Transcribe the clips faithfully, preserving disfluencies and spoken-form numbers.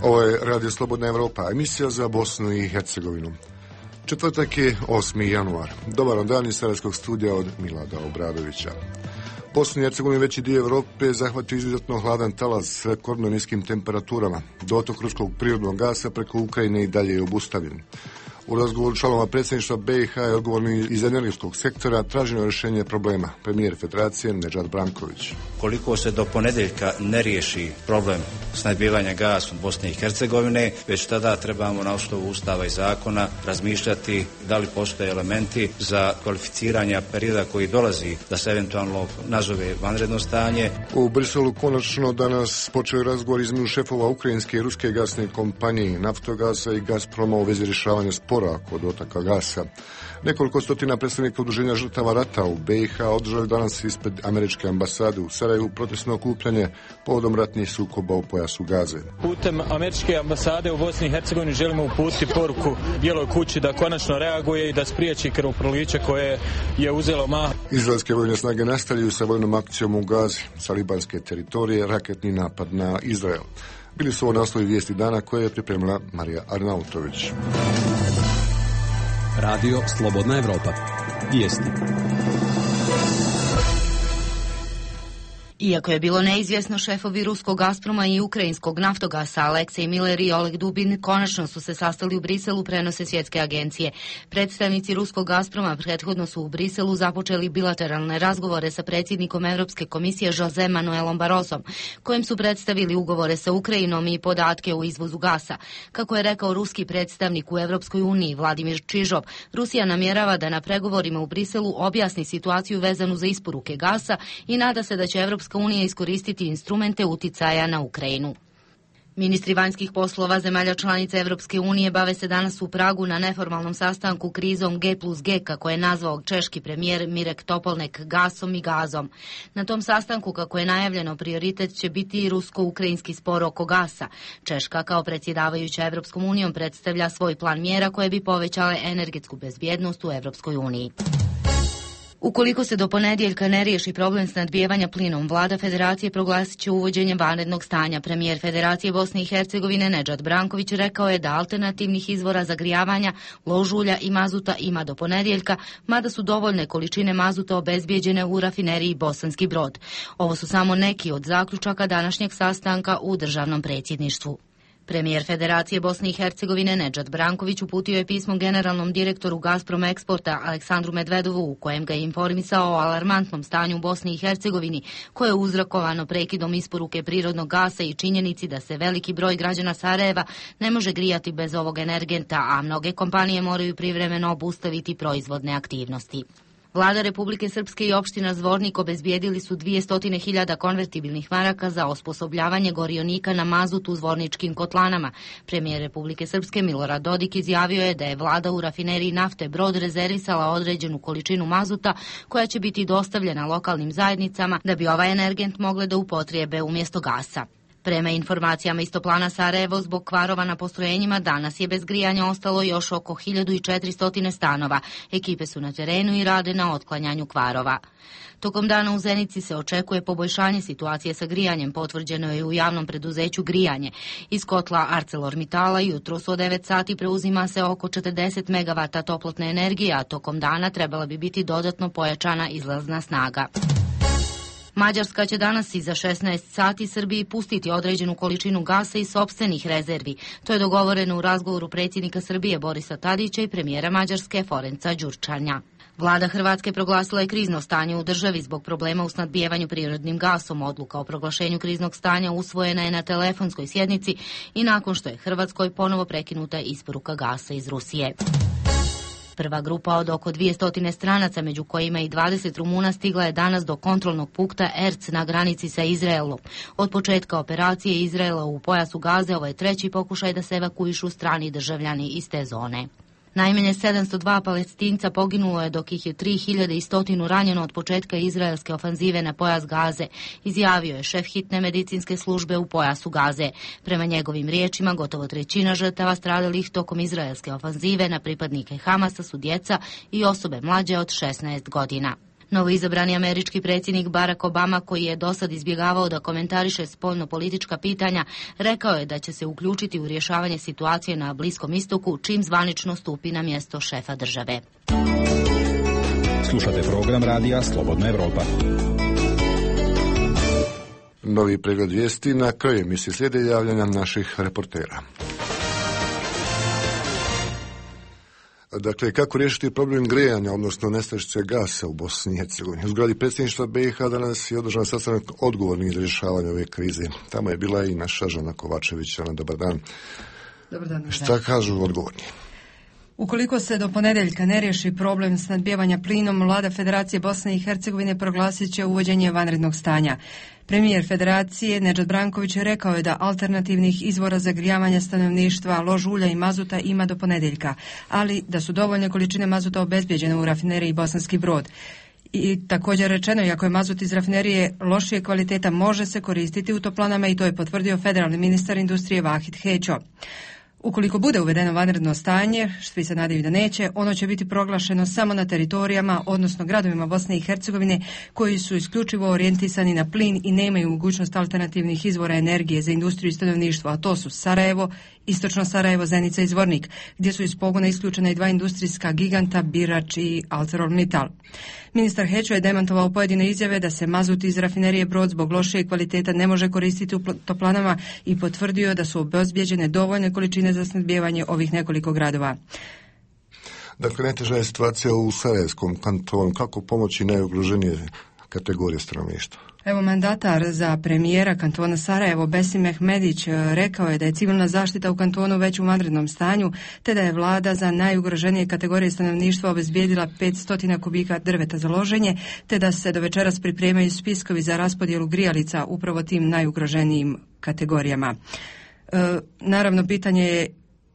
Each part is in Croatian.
Ovo je Radio Slobodna Evropa, emisija za Bosnu i Hercegovinu. Četvrtak je osmi januar. Dobar dan iz Sarajevskog studija od Milada Obradovića. Bosnu i Hercegovinu veći dio Evrope zahvatio izuzetno hladan talas s rekordno niskim temperaturama. Dotok ruskog prirodnog gasa preko Ukrajine i dalje je obustavljen. U razgovoru članova predsjedništva B i H je odgovorni iz energetskog sektora traženo rješenje problema. Premijer Federacije Nedžad Branković. Koliko se do ponedjeljka ne riješi problem snabdijevanja gasom Bosne i Hercegovine, već tada trebamo na osnovu Ustava i zakona razmišljati da li postoje elementi za kvalificiranje perioda koji dolazi da se eventualno nazove vanredno stanje. U Briselu konačno danas počeo razgovor između šefova ukrajinske i ruske gasne kompanije Naftogasa i Gazproma u vezi rješavanja spora kod otaka gasa. Nekoliko stotina predstavnika udruženja žrtava rata u B i H održali danas ispred američke ambasade u Sarajevu protestno okupljanje povodom ratnih sukoba u pojasu Gaze. Putem američke ambasade u Bosni i Hercegovini želimo uputiti poruku Bijeloj kući da konačno reaguje i da spriječi krvoproliće koje je uzelo mah. Izraelske vojne snage nastavljaju sa vojnom akcijom u Gazi, sa libanske teritorije, raketni napad na Izrael. Bili su ovo naslovi vijesti dana koje je pripremila Marija Arnautović. Radio Slobodna Evropa. Vijesti. Iako je bilo neizvjesno, šefovi ruskog Gazproma i ukrajinskog Naftogasa Aleksej Miller i Oleg Dubin konačno su se sastali u Briselu, prenose svjetske agencije. Predstavnici ruskog Gazproma prethodno su u Briselu započeli bilateralne razgovore sa predsjednikom Europske komisije Jose Manuelom Barrosom, kojim su predstavili ugovore sa Ukrajinom i podatke o izvozu gasa. Kako je rekao ruski predstavnik u Europskoj uniji Vladimir Čižov, Rusija namjerava da na pregovorima u Briselu objasni situaciju vezanu za isporuke gasa i nada se da će Europska unija iskoristiti instrumente uticaja na Ukrajinu. Ministri vanjskih poslova zemalja članica Evropske unije bave se danas u Pragu na neformalnom sastanku krizom G plus G, kako je nazvao češki premijer Mirek Topolnek, gasom i gazom. Na tom sastanku, kako je najavljeno, prioritet će biti i rusko-ukrajinski spor oko gasa. Češka kao predsjedavajuća Evropskom unijom predstavlja svoj plan mjera koje bi povećale energetsku bezbjednost u Evropskoj uniji. Ukoliko se do ponedjeljka ne riješi problem snadbijevanja plinom, vlada Federacije proglasit će uvođenje vanrednog stanja. Premijer Federacije Bosne i Hercegovine Nedžad Branković rekao je da alternativnih izvora zagrijavanja, ložulja i mazuta ima do ponedjeljka, mada su dovoljne količine mazuta obezbijeđene u rafineriji Bosanski Brod. Ovo su samo neki od zaključaka današnjeg sastanka u državnom predsjedništvu. Premijer Federacije Bosne i Hercegovine Nedžad Branković uputio je pismo generalnom direktoru Gazprom Eksporta Aleksandru Medvedovu, u kojem ga je informisao o alarmantnom stanju u Bosni i Hercegovini, koje je uzrokovano prekidom isporuke prirodnog gasa i činjenici da se veliki broj građana Sarajeva ne može grijati bez ovog energenta, a mnoge kompanije moraju privremeno obustaviti proizvodne aktivnosti. Vlada Republike Srpske i opština Zvornik obezbijedili su dvjesto hiljada konvertibilnih maraka za osposobljavanje gorionika na mazut u zvorničkim kotlanama. Premijer Republike Srpske Milorad Dodik izjavio je da je vlada u rafineriji nafte Brod rezervisala određenu količinu mazuta koja će biti dostavljena lokalnim zajednicama da bi ovaj energent mogle da upotrijebe umjesto gasa. Prema informacijama iz Toplana Sarajevo, zbog kvarova na postrojenjima danas je bez grijanja ostalo još oko hiljadu četiristo stanova. Ekipe su na terenu i rade na otklanjanju kvarova. Tokom dana u Zenici se očekuje poboljšanje situacije sa grijanjem, potvrđeno je u javnom preduzeću Grijanje. Iz kotla ArcelorMittala jutros od devet sati preuzima se oko četrdeset megavata toplotne energije, a tokom dana trebala bi biti dodatno pojačana izlazna snaga. Mađarska će danas iza šesnaest sati Srbiji pustiti određenu količinu gasa iz sopstvenih rezervi. To je dogovoreno u razgovoru predsjednika Srbije Borisa Tadića i premijera Mađarske Ferenca Đurčanja. Vlada Hrvatske proglasila je krizno stanje u državi zbog problema u snadbijevanju prirodnim gasom. Odluka o proglašenju kriznog stanja usvojena je na telefonskoj sjednici i nakon što je Hrvatskoj ponovo prekinuta isporuka gasa iz Rusije. Prva grupa od oko dvjesto stranaca, među kojima i dvadeset Rumuna, stigla je danas do kontrolnog punkta Erc na granici sa Izraelom. Od početka operacije Izraela u pojasu Gaze ovo je treći pokušaj da se evakuišu strani državljani iz te zone. Najmanje sedamsto dva Palestinca poginulo je, dok ih je tri hiljade sto ranjeno od početka izraelske ofanzive na pojas Gaze, izjavio je šef hitne medicinske službe u pojasu Gaze. Prema njegovim riječima, gotovo trećina žrtava stradalih tokom izraelske ofanzive na pripadnike Hamasa su djeca i osobe mlađe od šesnaest godina. Novoizabrani američki predsjednik Barack Obama, koji je dosad izbjegavao da komentariše spoljno-politička pitanja, rekao je da će se uključiti u rješavanje situacije na Bliskom istoku čim zvanično stupi na mjesto šefa države. Slušate program radija Slobodna Evropa. Novi pregled vijesti na kraju emisije slijede javljanja naših reportera. Dakle, kako riješiti problem grijanja, odnosno nestašice gasa u Bosni i Hercegovini? U zgradi predsjedništva B i H danas je održan sastanak odgovornih za rješavanje ove krize. Tamo je bila i naša Žana Kovačević. Ana, dobar dan. Dobar dan. Šta kažu odgovorni? Ukoliko se do ponedjeljka ne riješi problem snabdijevanja plinom, vlada Federacije Bosne i Hercegovine proglasit će uvođenje vanrednog stanja. Premijer Federacije Nedžad Branković rekao je da alternativnih izvora za grijavanje stanovništva, lož ulja i mazuta ima do ponedjeljka, ali da su dovoljne količine mazuta obezbijeđene u rafineriji Bosanski Brod. I također rečeno, iako je mazut iz rafinerije lošije kvaliteta, može se koristiti u toplanama i to je potvrdio federalni ministar industrije Vahid Hećo. Ukoliko bude uvedeno vanredno stanje, svi se nadaju da neće, ono će biti proglašeno samo na teritorijama, odnosno gradovima Bosne i Hercegovine koji su isključivo orijentisani na plin i nemaju mogućnost alternativnih izvora energije za industriju i stanovništvo, a to su Sarajevo, Istočno Sarajevo, Zenica i Zvornik, gdje su iz pogona isključena i dva industrijska giganta, Birač i ArcelorMittal. Ministar Hećo je demantovao pojedine izjave da se mazut iz rafinerije Brod zbog lošije kvaliteta ne može koristiti u toplanama i potvrdio da su obezbijeđene dovoljne količine za snabdijevanje ovih nekoliko gradova. Dakle, najteža je situacija u Sarajevskom kantonu. Kako pomoći najugroženije kategorije stanovništva? Evo, mandatar za premijera kantona Sarajevo Besim Mehmedić rekao je da je civilna zaštita u kantonu već u vanrednom stanju, te da je vlada za najugroženije kategorije stanovništva obezbijedila petsto kubika drveta za loženje, te da se do večeras pripremaju spiskovi za raspodjelu grijalica upravo tim najugroženijim kategorijama. E, naravno, pitanje je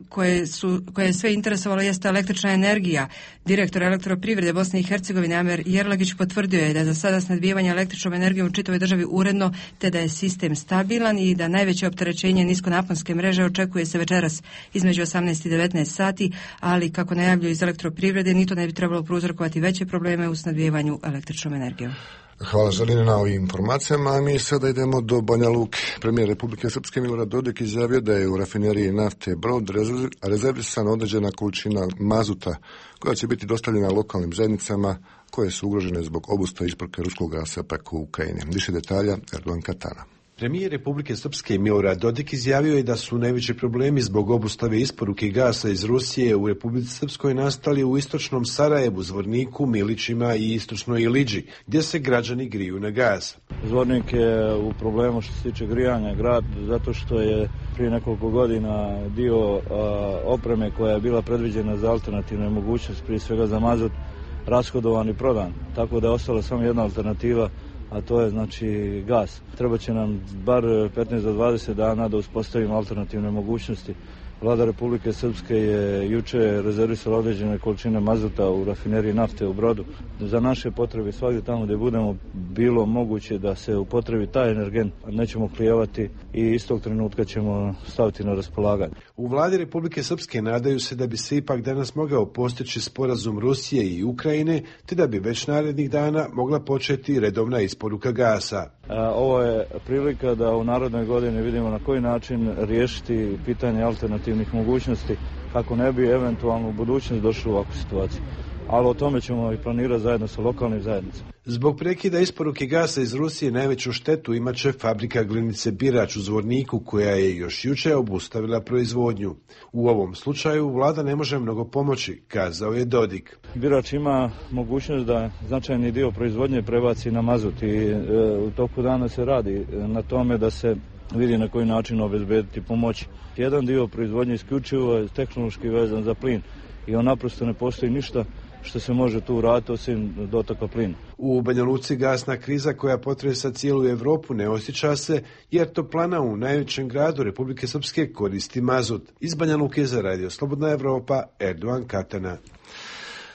koje su koje je sve interesovalo jeste električna energija. Direktor Elektroprivrede Bosne i Hercegovine Amer Jerlagić potvrdio je da je za sada snabdijevanje električnom energijom u čitavoj državi uredno, te da je sistem stabilan i da najveće opterećenje niskonaponske mreže očekuje se večeras između osamnaest i devetnaest sati, ali kako najavljuju iz Elektroprivrede, ni to ne bi trebalo prouzrokovati veće probleme u snabdijevanju električnom energijom. Hvala Želine na ovim informacijama, a mi sada idemo do Banja Luke. Premijer Republike Srpske Milorad Dodik izjavio da je u rafineriji nafte Brod rezervisana određena količina mazuta koja će biti dostavljena lokalnim zajednicama koje su ugrožene zbog obustave isporuke ruskog gasa preko Ukrajine. Više detalja Erdogan Katana. Premijer Republike Srpske Milorad Dodik izjavio je da su najveći problemi zbog obustave isporuke gasa iz Rusije u Republici Srpskoj nastali u istočnom Sarajevu, Zvorniku, Milićima i istočnoj Iliđi, gdje se građani griju na gas. Zvornik je u problemu što se tiče grijanja grad, zato što je prije nekoliko godina dio a, opreme koja je bila predviđena za alternativne mogućnosti, prije svega za mazut, rashodovan i prodan. Tako da je ostala samo jedna alternativa, a to je znači gas. Treba će nam bar petnaest do dvadeset dana da uspostavimo alternativne mogućnosti. Vlada Republike Srpske je juče rezervisala određene količine mazuta u rafineriji nafte u Brodu. Za naše potrebe svakdje tamo gdje budemo bilo moguće da se upotrebi taj energent, nećemo klijevati i istog trenutka ćemo staviti na raspolaganje. U vladi Republike Srpske nadaju se da bi se ipak danas mogao postići sporazum Rusije i Ukrajine, te da bi već narednih dana mogla početi redovna isporuka gasa. Ovo je prilika da u narednoj godini vidimo na koji način riješiti pitanje alternativnih mogućnosti kako ne bi eventualno u budućnosti došli u ovakvu situaciju. Ali o tome ćemo i planirati zajedno sa lokalnim zajednicama. Zbog prekida isporuke gasa iz Rusije najveću štetu imat će fabrika glinice Birač u Zvorniku, koja je još jučer obustavila proizvodnju. U ovom slučaju vlada ne može mnogo pomoći, kazao je Dodik. Birač ima mogućnost da značajni dio proizvodnje prebaci na mazut i e, u toku dana se radi na tome da se vidi na koji način obezbediti pomoć. Jedan dio proizvodnje isključivo je tehnološki vezan za plin i on naprosto ne postoji ništa što se može tu uraditi osim dotoka plina. U Banja Luci gasna kriza koja potresa cijelu Evropu ne osjeća se, jer toplana u najvećem gradu Republike Srpske koristi mazut. Iz Banja Luke za Radio Slobodna Evropa, Erdogan Katana.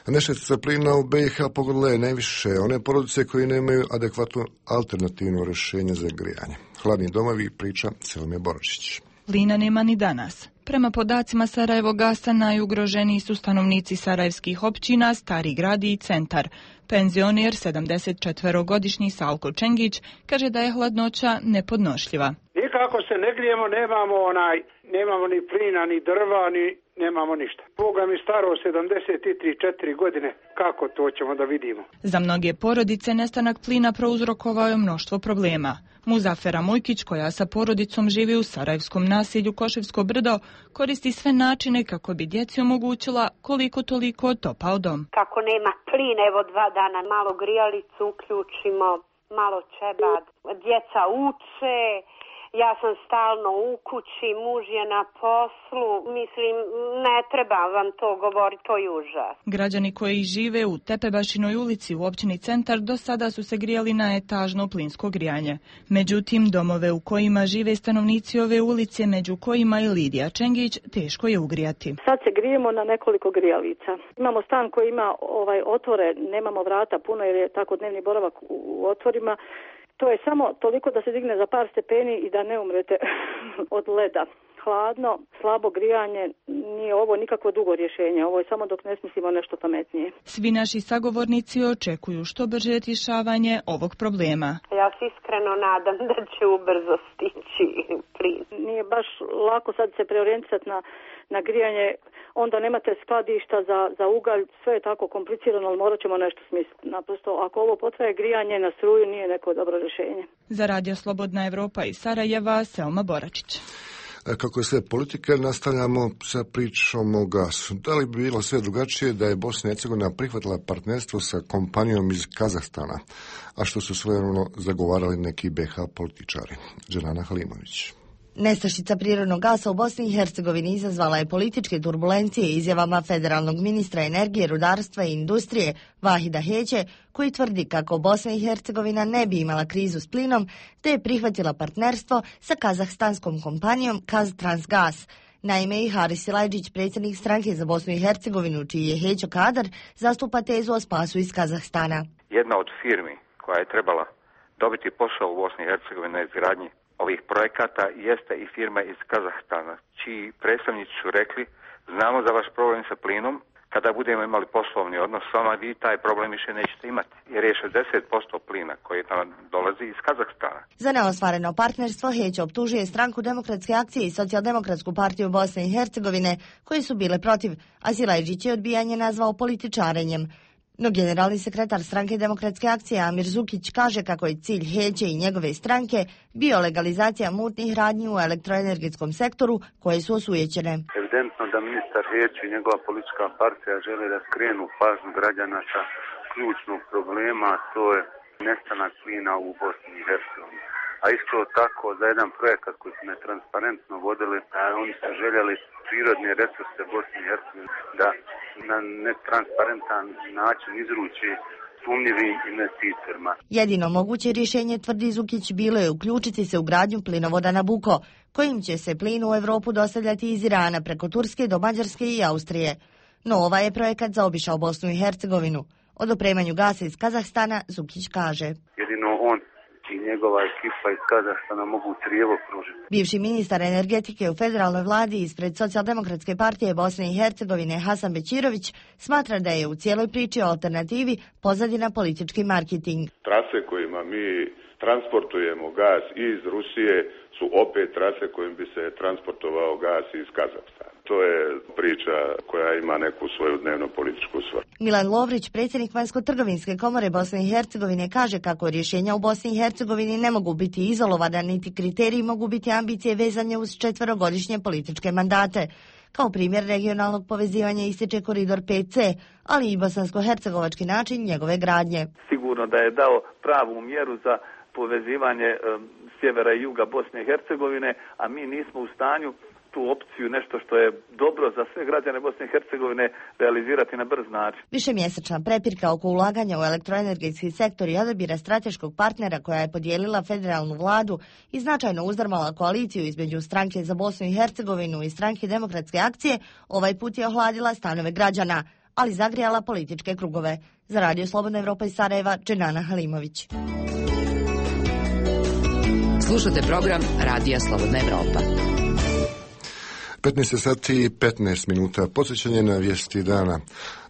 Nestašica plina u B i H pogodila je najviše one porodice koji nemaju adekvatno alternativno rješenje za grijanje. Hladni domovi, priča Selme Boračić. Plina nema ni danas. Prema podacima Sarajevogasa najugroženiji su stanovnici sarajevskih općina Stari grad i Centar. Penzioner sedamdeset četverogodišnji Salko Čengić kaže da je hladnoća nepodnošljiva. Nikako se ne grijemo, nemamo onaj, nemamo ni plina, ni drva, ni nemamo ništa. Boga mi staro sedamdeset tri četiri godine, kako to ćemo da vidimo? Za mnoge porodice nestanak plina prouzrokovao je mnoštvo problema. Muzafera Mujkić, koja sa porodicom živi u sarajevskom naselju Koševsko brdo, koristi sve načine kako bi djeci omogućila koliko toliko topao dom. Kako nema plina, evo dva dana malo grijalicu uključimo, malo čebad, djeca uče. Ja sam stalno u kući, muž je na poslu, mislim, ne treba vam to govoriti, to je užas. Građani koji žive u Tepebašinoj ulici u općini Centar do sada su se grijali na etažno plinsko grijanje. Međutim, domove u kojima žive stanovnici ove ulice, među kojima i Lidija Čengić, teško je ugrijati. Sad se grijemo na nekoliko grijalica. Imamo stan koji ima ovaj otvore, nemamo vrata puno jer je tako dnevni boravak u otvorima. To je samo toliko da se digne za par stepeni i da ne umrete od leda. Hladno, slabo grijanje, nije ovo nikakvo dugo rješenje, ovo je samo dok ne smislimo nešto pametnije. Svi naši sagovornici očekuju što brže rješavanje ovog problema. Ja se iskreno nadam da će ubrzo stići plin. Nije baš lako sad se preorijentisati na, na grijanje, onda nemate skladišta za, za ugalj, sve je tako komplicirano, ali morat ćemo nešto smisliti. Naprosto, ako ovo potraje grijanje na struju, nije neko dobro rješenje. Za Radio Slobodna Evropa iz Sarajeva, Selma Boračić. Kako je sve politike, nastavljamo sa pričom o gasu. Da li bi bilo sve drugačije da je Bosna i Hercegovina prihvatila partnerstvo sa kompanijom iz Kazahstana, a što su svojevremeno zagovarali neki be ha političari? Dženana Halimović. Nestašica prirodnog gasa u Bosni i Hercegovini izazvala je političke turbulencije izjavama federalnog ministra energije, rudarstva i industrije Vahida Heće, koji tvrdi kako Bosna i Hercegovina ne bi imala krizu s plinom, te je prihvatila partnerstvo sa kazahstanskom kompanijom Kaztransgas. Naime, i Haris Silajdžić, predsjednik stranke za Bosnu i Hercegovinu, čiji je Hećo kadar, zastupa tezu o spasu iz Kazahstana. Jedna od firmi koja je trebala dobiti posao u Bosni i Hercegovini na izgradnji ovih projekata jeste i firma iz Kazahstana, čiji predstavnici su rekli: znamo za vaš problem sa plinom, kada budemo imali poslovni odnos s vama, vi taj problem više nećete imati, jer je šezdeset posto plina koji nam dolazi iz Kazahstana. Za neostvareno partnerstvo Heće optužuje Stranku demokratske akcije i Socijaldemokratsku partiju Bosne i Hercegovine, koje su bile protiv, a Silajdžić je odbijanje nazvao političarenjem. No generalni sekretar Stranke demokratske akcije Amir Zukić kaže kako je cilj Heće i njegove stranke bio legalizacija mutnih radnji u elektroenergetskom sektoru koje su osujećene. Evidentno da ministar Heće i njegova politička partija žele da skrenu pažnju građana sa ključnog problema, to je nestanak plina u Bosni i Hercegovini. A isto tako za jedan projekat koji su netransparentno vodili, a oni su željeli prirodne resurse Bosne i Hercegovine da na netransparentan način izruči sumnjivim investitorima. Jedino moguće rješenje, tvrdi Zukić, bilo je uključiti se u gradnju plinovoda Nabucco, kojim će se plin u Europu dostavljati iz Irana preko Turske do Mađarske i Austrije. No ovaj je projekat zaobišao Bosnu i Hercegovinu. O dopremanju gasa iz Kazahstana Zukić kaže: jedino on i njegova ekipa iz Kazahstana mogu crijevo pružiti. Bivši ministar energetike u federalnoj vladi ispred Socijaldemokratske partije Bosne i Hercegovine Hasan Bećirović smatra da je u cijeloj priči o alternativi pozadina politički marketing. Trase kojima mi transportujemo gas iz Rusije su opet trase kojim bi se transportovao gas iz Kazahstana. To je priča koja ima neku svoju dnevno političku svrhu. Milan Lovrić, predsjednik Vanjsko-trgovinske komore Bosne i Hercegovine, kaže kako rješenja u Bosni i Hercegovini ne mogu biti izolovana, niti kriteriji mogu biti ambicije vezane uz četverogodišnje političke mandate. Kao primjer regionalnog povezivanja ističe koridor pet ce, ali i bosansko-hercegovački način njegove gradnje. Sigurno da je dao pravu mjeru za povezivanje um, sjevera i juga Bosne i Hercegovine, a mi nismo u stanju tu opciju, nešto što je dobro za sve građane Bosne i Hercegovine, realizirati na brz način. Višemjesečna prepirka oko ulaganja u elektroenergetski sektor i odabira strateškog partnera koja je podijelila federalnu vladu i značajno uzdrmala koaliciju između Stranke za Bosnu i Hercegovinu i Stranke demokratske akcije, ovaj put je ohladila stanove građana, ali zagrijala političke krugove. Za Radio Slobodna Evropa iz Sarajeva, Dženana Halimović. Slušate program Radija Slobodna Evropa. petnaest sati i petnaest minuta. Podsjećanje na vijesti dana.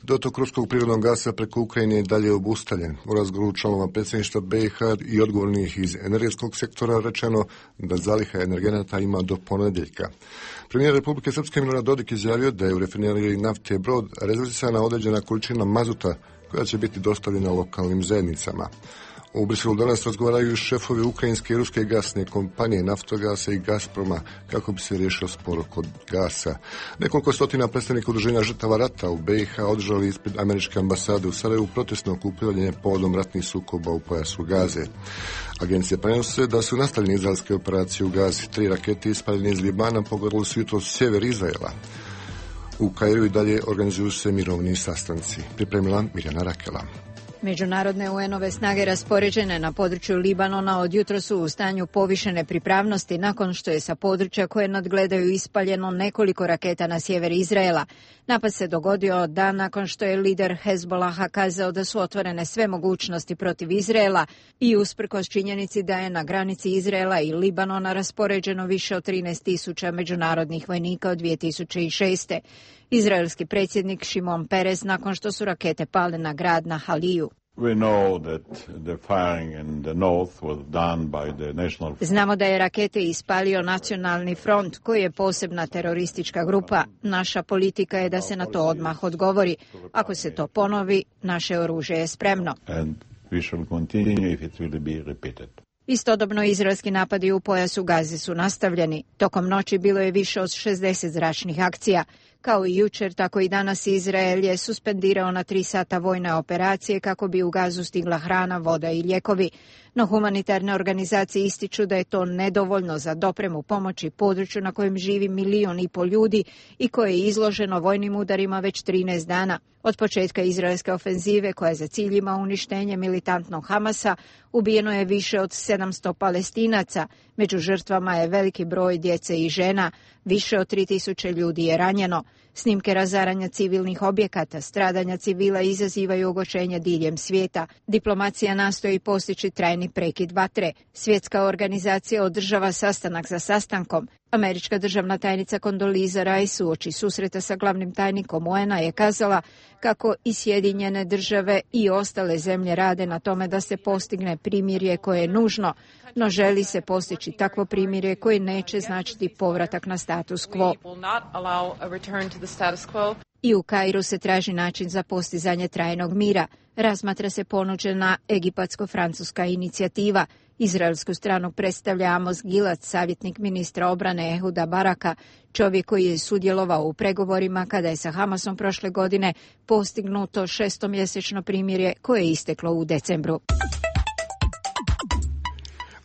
Dotok ruskog prirodnog gasa preko Ukrajine je dalje obustavljen. U razgovoru članova predsjedništva B i H i odgovornih iz energetskog sektora rečeno da zaliha energenata ima do ponedjeljka. Premijer Republike Srpske Milorad Dodik izjavio da je u rafineriji nafte Brod rezervisana određena količina mazuta koja će biti dostavljena lokalnim zajednicama. U Briselu danas razgovaraju šefovi ukrajinske i ruske gasne kompanije Naftogasa i Gazproma kako bi se riješio spor oko gasa. Nekoliko stotina predstavnika udruženja žrtava rata u B i H održali ispred američke ambasade u Sarajevu protestno okupljanje povodom ratnih sukoba u pojasu Gaze. Agencije prenose da su nastavljene izraelske operacije u Gazi. Tri rakete ispaljene iz Libana pogodile su jutros sjever Izraela. U Kairu i dalje organizuju se mirovni sastanci. Pripremila Mirjana Rakela. Međunarodne U N-ove snage raspoređene na području Libanona od jutros su u stanju povišene pripravnosti nakon što je sa područja koje nadgledaju ispaljeno nekoliko raketa na sjever Izraela. Napad se dogodio dan nakon što je lider Hezbolaha kazao da su otvorene sve mogućnosti protiv Izraela i usprkos činjenici da je na granici Izraela i Libanona raspoređeno više od trinaest tisuća međunarodnih vojnika od dvije tisuće šeste. Izraelski predsjednik Šimon Peres nakon što su rakete pale na grad na Haliju. Znamo da je rakete ispalio Nacionalni front, koji je posebna teroristička grupa. Naša politika je da se na to odmah odgovori. Ako se to ponovi, naše oružje je spremno. Istodobno izraelski napadi u pojasu Gaze su nastavljeni. Tokom noći bilo je više od šezdeset zračnih akcija. Kao i jučer, tako i danas Izrael je suspendirao na tri sata vojne operacije kako bi u Gazu stigla hrana, voda i lijekovi. No humanitarne organizacije ističu da je to nedovoljno za dopremu pomoći području na kojem živi milion i pol ljudi i koje je izloženo vojnim udarima već trinaest dana. Od početka izraelske ofenzive, koja je za cilj ima uništenje militantnog Hamasa, ubijeno je više od sedamsto Palestinaca. Među žrtvama je veliki broj djece i žena. Više od tri tisuće ljudi je ranjeno. Snimke razaranja civilnih objekata, stradanja civila izazivaju ogorčenje diljem svijeta. Diplomacija nastoji postići trajni prekid vatre. Svjetska organizacija održava sastanak za sastankom. Američka državna tajnica Condoleezza Rice uoči susreta sa glavnim tajnikom U N-a je kazala kako i Sjedinjene države i ostale zemlje rade na tome da se postigne primirje koje je nužno, no želi se postići takvo primirje koje neće značiti povratak na status quo. I u Kairu se traži način za postizanje trajnog mira. Razmatra se ponuđena egipatsko-francuska inicijativa. Izraelsku stranu predstavlja Amos Gilad, savjetnik ministra obrane Ehuda Baraka, čovjek koji je sudjelovao u pregovorima kada je sa Hamasom prošle godine postignuto šestomjesečno primirje koje je isteklo u decembru.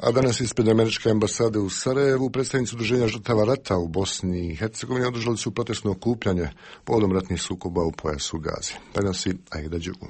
A danas ispred američke ambasade u Sarajevu predstavnici udruženja žrtava rata u Bosni i Hercegovini održali su protestno okupljanje povodom ratnih sukoba u pojasu Gaze. Prenosi Aida Đugu.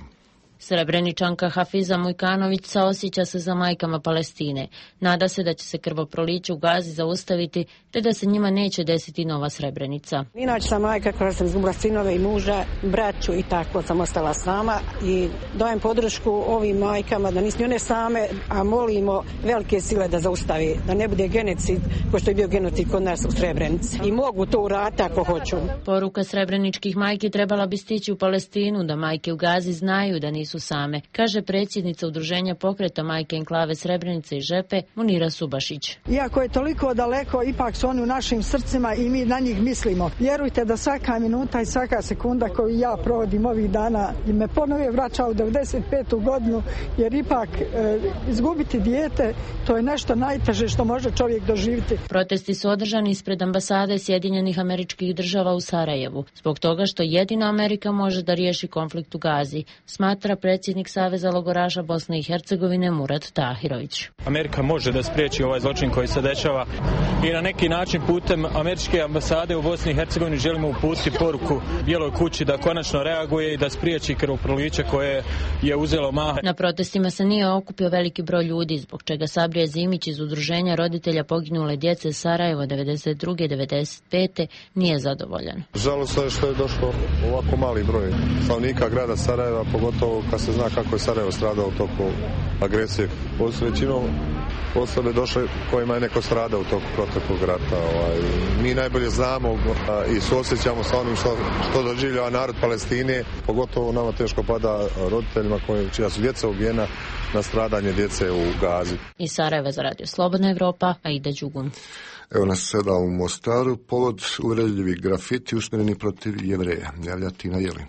Srebreničanka Hafiza Mujkanović saosjeća se za majkama Palestine. Nada se da će se krvoproliće u Gazi zaustaviti, te da se njima neće desiti nova Srebrenica. Inače sam majka koja sam izgubila sinove i muža, braću i tako sam ostala sama i dajem podršku ovim majkama da nisu one same, a molimo velike sile da zaustavi, da ne bude genocid ko što je bio genocid kod nas u Srebrenici. I mogu to uraditi ako hoću. Poruka srebreničkih majki trebala bi stići u Palestinu, da majke u Gazi znaju da nisu same, kaže predsjednica udruženja pokreta majke enklave Srebrenice i Žepe Munira Subašić. Iako je toliko daleko, ipak su oni u našim srcima i mi na njih mislimo. Vjerujte da svaka minuta i svaka sekunda koju ja provodim ovih dana i me ponovo vraća u devedeset petu godinu, jer ipak e, izgubiti dijete, to je nešto najteže što može čovjek doživjeti. Protesti su održani ispred ambasade Sjedinjenih Američkih Država u Sarajevu, zbog toga što jedino Amerika može da riješi konflikt u Gazi, smatra predsjednik Saveza logoraša Bosne i Hercegovine Murat Tahirović. Amerika može da spriječi ovaj zločin koji se dešava i na neki način putem američke ambasade u Bosni i Hercegovini želimo uputiti poruku Bijeloj kući da konačno reaguje i da spriječi krvoproliće koje je uzelo maha. Na protestima se nije okupio veliki broj ljudi, zbog čega Sabrije Zimić iz udruženja roditelja poginule djece Sarajevo devedeset druge devedeset pete nije zadovoljan. Žalosno je što je došlo ovako mali broj stanovnika grada Sarajeva, pogotovo kad se zna kako je Sarajevo stradao u toku agresije. Ovo su većinom osobe došle kojima je neko stradao u toku proteklog rata. Ovaj. Mi najbolje znamo a, i suosjećamo sa onim što, što doživljava narod Palestine, pogotovo nama teško pada roditeljima koji, čija su djeca ubijena na stradanje djece u Gazi. Iz Sarajeva za Radio Slobodna Evropa, Aida Đugun. Evo nas sada u Mostaru, povod uvredljivi grafiti usmjereni protiv Jevreja. Javlja Tina Jeli.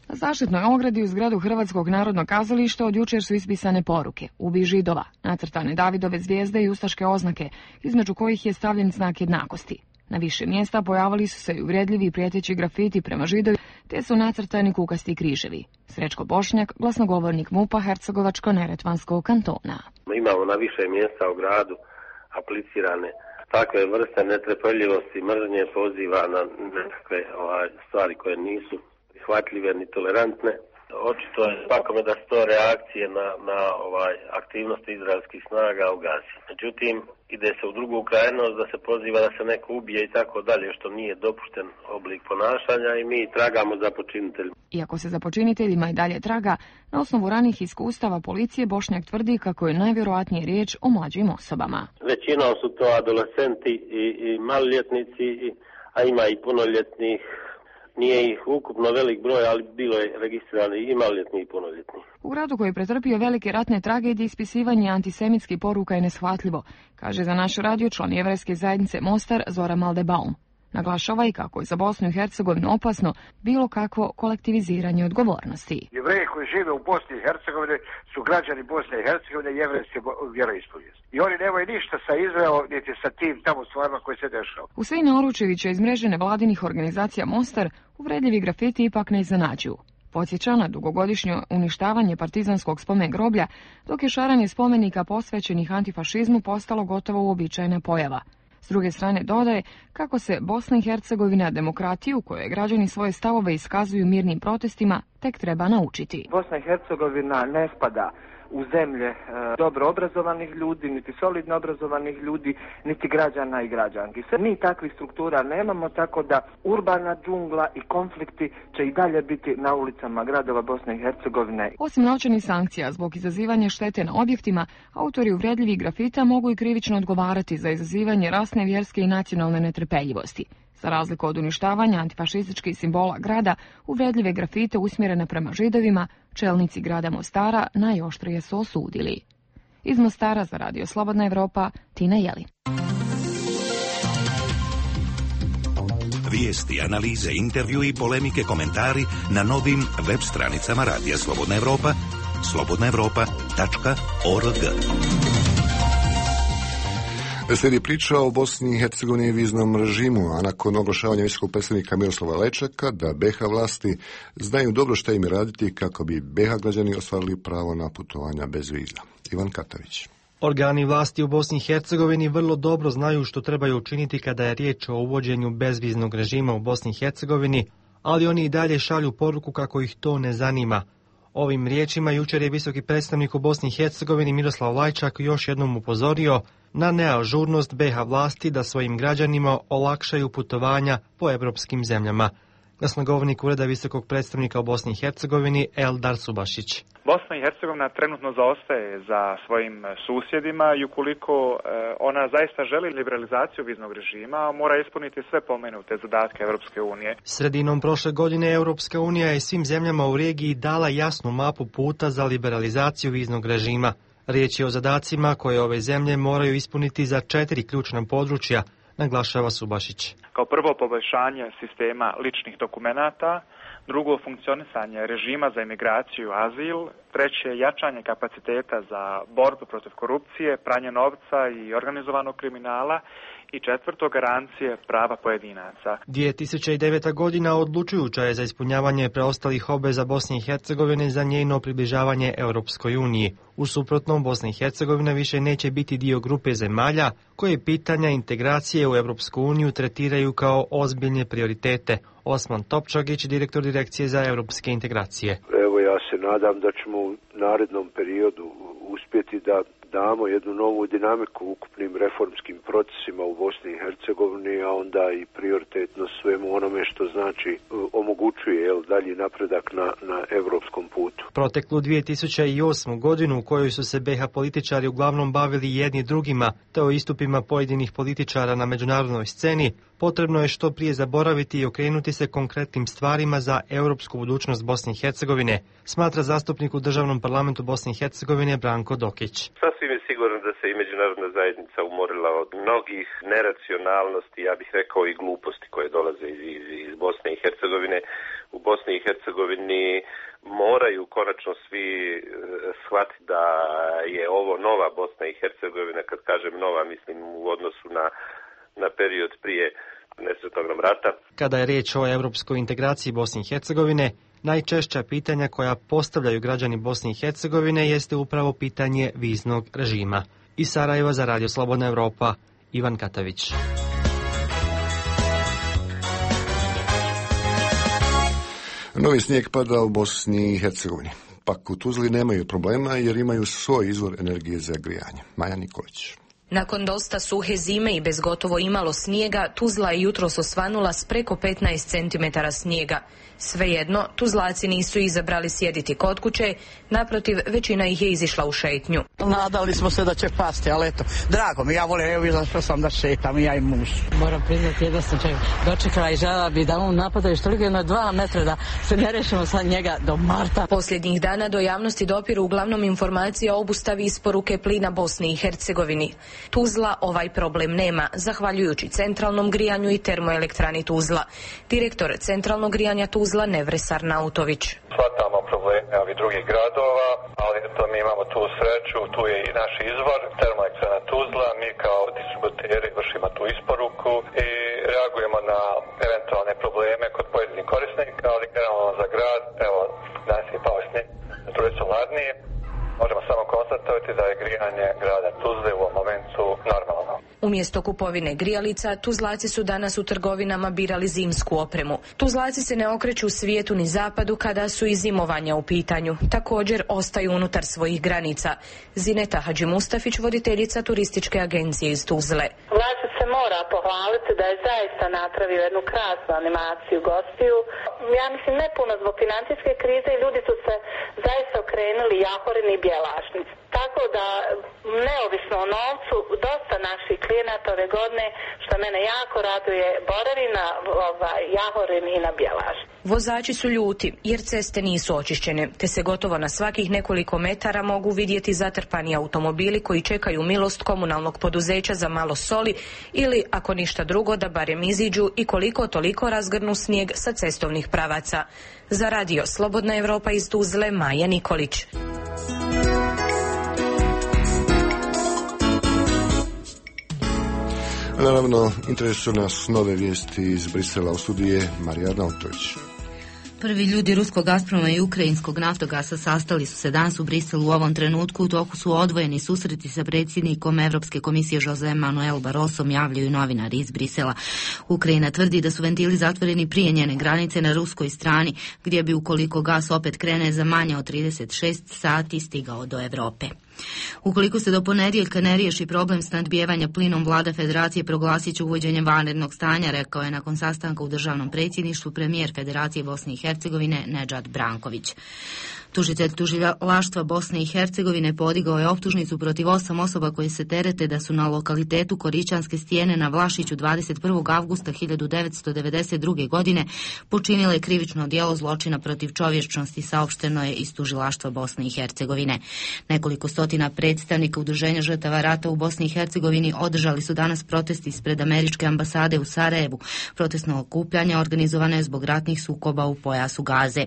Na zaštitnoj ogradi u zgradu Hrvatskog narodnog kazališta od jučer su ispisane poruke: Ubij Židova, nacrtane Davidove zvijezde i ustaške oznake, između kojih je stavljen znak jednakosti. Na više mjesta pojavili su se i uvredljivi i prijeteći grafiti prema Židovi, te su nacrtani kukasti križevi. Srećko Bošnjak, glasnogovornik MUP-a Hercegovačko-neretvanskog kantona. Imamo na više mjesta u gradu aplicirane takve vrste netrpeljivosti, mržnje, poziva na nekakve ovaj, stvari koje nisu prihvatljive ni tolerantne. Očito je svakome da su to reakcije na, na ovaj, aktivnosti izraelskih snaga u Gazi. Međutim, ide se u drugu krajnost da se poziva da se neko ubije i tako dalje, što nije dopušten oblik ponašanja i mi tragamo za počiniteljima. Iako se za počiniteljima i dalje traga, na osnovu ranih iskustava policije Bošnjak tvrdi kako je najvjerojatnije riječ o mlađim osobama. Većinom su to adolescenti i, i maloljetnici, i, a ima i punoljetnih. Nije ih ukupno velik broj, ali bilo je registrirano i maloljetni i punoljetni. U gradu koji je pretrpio velike ratne tragedije, ispisivanje antisemitskih poruka je neshvatljivo, kaže za naš radio član jevrejske zajednice Mostar Zora Maldebaum. Naglašava i kako je za Bosnu i Hercegovinu opasno bilo kakvo kolektiviziranje odgovornosti. Jevreji koji žive u Bosni i Hercegovini su građani Bosne i Hercegovine jevrejske vjeroispovijesti. I oni nemaju ništa sa Izraelom niti sa tim tamo stvarima koje se dešava. Husein Oručević je iz mreže nevladinih organizacija Mostar uvredljivi grafiti ipak ne iznenađuju. Podsjeća na dugogodišnje uništavanje partizanskog spomen groblja, dok je šaranje spomenika posvećenih antifašizmu postalo gotovo uobičajena pojava. S druge strane dodaje kako se Bosna i Hercegovina demokratiju, kojoj građani svoje stavove iskazuju mirnim protestima, tek treba naučiti. Bosna i Hercegovina ne spada u zemlje e, dobro obrazovanih ljudi, niti solidno obrazovanih ljudi, niti građana i građanki. Sve mi takvih struktura nemamo, tako da urbana džungla i konflikti će i dalje biti na ulicama gradova Bosne i Hercegovine. Osim novčanih sankcija zbog izazivanja štete na objektima, autori uvredljivih grafita mogu i krivično odgovarati za izazivanje rasne, vjerske i nacionalne netrpeljivosti. Za razliku od uništavanja antifašističkih simbola grada, uvredljive grafite usmjerene prema Židovima, čelnici grada Mostara najoštrije su osudili. Iz Mostara za Radio Slobodna Evropa, Tina Jeli. Vijesti, analize, intervju i polemike, komentari na novim web stranicama Radija Slobodna Evropa, slobodna evropa tačka org. Slijedi priča o Bosni i Hercegovini i viznom režimu, a nakon oglašavanja visokog predstavnika Miroslava Lečaka da B iH vlasti znaju dobro šta im raditi kako bi B iH građani ostvarili pravo na putovanja bez viza. Ivan Katavić. Organi vlasti u Bosni i Hercegovini vrlo dobro znaju što trebaju učiniti kada je riječ o uvođenju bezviznog režima u Bosni i Hercegovini, ali oni i dalje šalju poruku kako ih to ne zanima. Ovim riječima jučer je visoki predstavnik u Bosni i Hercegovini Miroslav Lajčak još jednom upozorio na neažurnost B iH vlasti da svojim građanima olakšaju putovanja po evropskim zemljama. Glasnogovornik Ureda visokog predstavnika u Bosni i Hercegovini Eldar Subašić. Bosna i Hercegovina trenutno zaostaje za svojim susjedima i ukoliko ona zaista želi liberalizaciju viznog režima, mora ispuniti sve pomenute zadatke Europske unije. Sredinom prošle godine Europska unija je svim zemljama u regiji dala jasnu mapu puta za liberalizaciju viznog režima. Riječ je o zadacima koje ove zemlje moraju ispuniti za četiri ključna područja, naglašava Subašić. Kao prvo, poboljšanje sistema ličnih dokumenata, drugo, funkcionisanje režima za imigraciju i azil, treće, jačanje kapaciteta za borbu protiv korupcije, pranje novca i organizovanog kriminala i četvrto, garancije prava pojedinaca. dvije tisuće deveta godina odlučujuća je za ispunjavanje preostalih obveza Bosne i Hercegovine za njeno približavanje Europskoj uniji. U suprotnom, Bosna i Hercegovina više neće biti dio grupe zemalja koje pitanja integracije u Europsku uniju tretiraju kao ozbiljne prioritete. Osman Topčagić, direktor Direkcije za europske integracije. Evo, ja se nadam da ćemo u narednom periodu uspjeti da damo jednu novu dinamiku ukupnim reformskim procesima u Bosni i Hercegovini, a onda i prioritetno svemu onome što znači omogućuje jel, dalji napredak na, na evropskom putu. Proteklu dvije tisuće osmu godinu u kojoj su se be ha političari uglavnom bavili jedni drugima, te o istupima pojedinih političara na međunarodnoj sceni, potrebno je što prije zaboraviti i okrenuti se konkretnim stvarima za europsku budućnost Bosne i Hercegovine, smatra zastupnik u Državnom parlamentu Bosne i Hercegovine Branko Dokić. Sasvim je sigurno da se i međunarodna zajednica umorila od mnogih neracionalnosti, ja bih rekao i gluposti koje dolaze iz, iz, iz Bosne i Hercegovine. U Bosni i Hercegovini moraju konačno svi e, shvatiti da je ovo nova Bosna i Hercegovina. Kad kažem nova, mislim u odnosu na, na period prije nesretnog rata. Kada je riječ o europskoj integraciji Bosne i Hercegovine, najčešća pitanja koja postavljaju građani Bosne i Hercegovine jeste upravo pitanje viznog režima. Iz Sarajeva za Radio Slobodna Evropa, Ivan Katavić. Novi snijeg pada u Bosni i Hercegovini. Pak u Tuzli nemaju problema jer imaju svoj izvor energije za grijanje. Maja Nikolić. Nakon dosta suhe zime i bez gotovo imalo snijega, Tuzla je jutros osvanula s preko petnaest centimetara snijega. Svejedno, Tuzlaci nisu izabrali sjediti kod kuće, naprotiv, većina ih je izišla u šetnju. Nadali smo se da će pasti, ali eto, drago mi, ja volim, evo izašao sam da šetam, ja i muž. Moram priznati, jedno sam čak dočekala i žela bi da on napada još toliko jedno dva metra da se ne rešimo sa njega do marta. Posljednjih dana do javnosti dopiru uglavnom informacije o obustavi isporuke plina Bosni i Hercegovini. Tuzla ovaj problem nema, zahvaljujući centralnom grijanju i termoelektrani Tuzla. Direktor centralnog grijanja Tuzla Nevresar Nautović. Shvatamo probleme ovih drugih gradova, ali eto mi imamo tu sreću, tu je i naš izvor, termoelektrana Tuzla, mi kao distributeri vršimo tu isporuku i reagujemo na eventualne probleme kod pojedinih korisnika, ali generalno za grad, evo danas je pao snijeg, struje su hladnije. Možemo samo konstatovati da je grijanje grada Tuzle u ovom momentu normalno. Umjesto kupovine grijalica, Tuzlaci su danas u trgovinama birali zimsku opremu. Tuzlaci se ne okreću svijetu ni zapadu kada su i zimovanja u pitanju. Također ostaju unutar svojih granica. Zineta Hadži Mustafić, voditeljica turističke agencije iz Tuzle. Vlad se mora pohvaliti da je zaista napravio jednu krasnu animaciju gostiju. Ja mislim ne puno zbog financijske krize i ljudi su se zaista okrenuli Jahorin i Bjelašnic. Tako da, neovisno o novcu, dosta naših klijenata ove godine, što mene jako raduje, boravi na ovaj, Jahorin i na Bjelašnic. Vozači su ljuti jer ceste nisu očišćene, te se gotovo na svakih nekoliko metara mogu vidjeti zatrpani automobili koji čekaju milost komunalnog poduzeća za malo soli ili, ako ništa drugo, da barem iziđu i koliko toliko razgrnu snijeg sa cestovnih pravaca. Za Radio Slobodna Evropa iz Tuzle, Maja Nikolić. Naravno, interesuju nas nove vijesti iz Brisela. U studiju je Marija Arnautović. Prvi ljudi ruskog Gazproma i ukrajinskog Naftogasa sastali su se danas u Briselu. U ovom trenutku u toku su odvojeni susreti sa predsjednikom Evropske komisije Jose Manuel Barrosom, javljaju novinari iz Brisela. Ukrajina tvrdi da su ventili zatvoreni prije njene granice na ruskoj strani, gdje bi ukoliko gas opet krene za manje od trideset šest sati stigao do Europe. Ukoliko se do ponedjeljka ne riješi problem snadbijevanja plinom, vlada federacije proglasit će uvođenje vanrednog stanja, rekao je nakon sastanka u državnom predsjedništvu premijer Federacije Bosne i Hercegovine Nedžad Branković. Tužitelj tužilaštva Bosne i Hercegovine podigao je optužnicu protiv osam osoba koje se terete da su na lokalitetu Koričanske stijene na Vlašiću dvadeset prvog avgusta hiljadu devetsto devedeset druge. godine počinile krivično djelo zločina protiv čovječnosti, saopšteno je iz tužilaštva Bosne i Hercegovine. Nekoliko stotina predstavnika udruženja žrtava rata u Bosni i Hercegovini održali su danas protest ispred američke ambasade u Sarajevu. Protestno okupljanje organizovano je zbog ratnih sukoba u pojasu Gaze.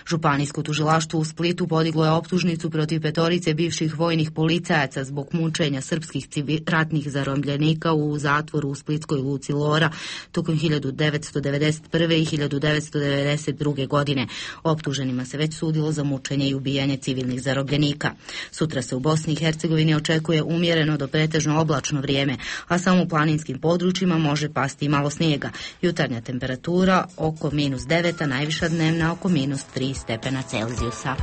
Županijsko tužilaštvo u Splitu podiglo je optužnicu protiv petorice bivših vojnih policajaca zbog mučenja srpskih ratnih zarobljenika u zatvoru u splitskoj luci Lora tokom hiljadu devetsto devedeset prve. i hiljadu devetsto devedeset druge. godine. Optuženima se već sudilo za mučenje i ubijanje civilnih zarobljenika. Sutra se u Bosni i Hercegovini očekuje umjereno do pretežno oblačno vrijeme, a samo u planinskim područjima može pasti i malo snijega. Jutarnja temperatura oko minus devet, a najviša dnevna oko minus tri stepena Celzijusa.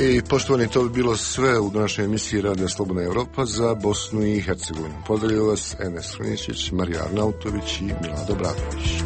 I poštovani, to bi bilo sve u današnjoj emisiji Radija Slobodna Evropa za Bosnu i Hercegovinu. Pozdravljaju vas Enes Hruničić, Marija Arnautović i Milado Bradović.